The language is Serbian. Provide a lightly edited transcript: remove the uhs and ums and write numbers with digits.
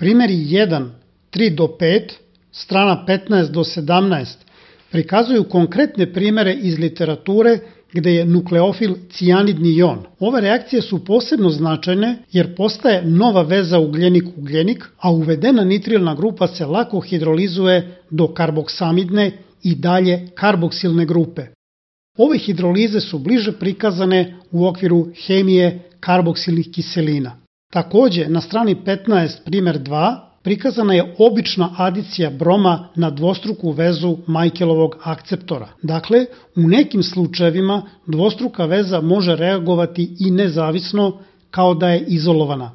Primjeri 1, 3 do 5, strana 15 do 17 prikazuju konkretne primere iz literature gde je nukleofil cijanidni jon. Ove reakcije su posebno značajne jer postaje nova veza ugljenik-ugljenik, a uvedena nitrilna grupa se lako hidrolizuje do karboksamidne i dalje karboksilne grupe. Ove hidrolize su bliže prikazane u okviru hemije karboksilnih kiselina. Takođe, na strani 15, primer 2, prikazana je obična adicija broma na dvostruku vezu Michaelovog akceptora. Dakle, u nekim slučajevima dvostruka veza može reagovati i nezavisno kao da je izolovana.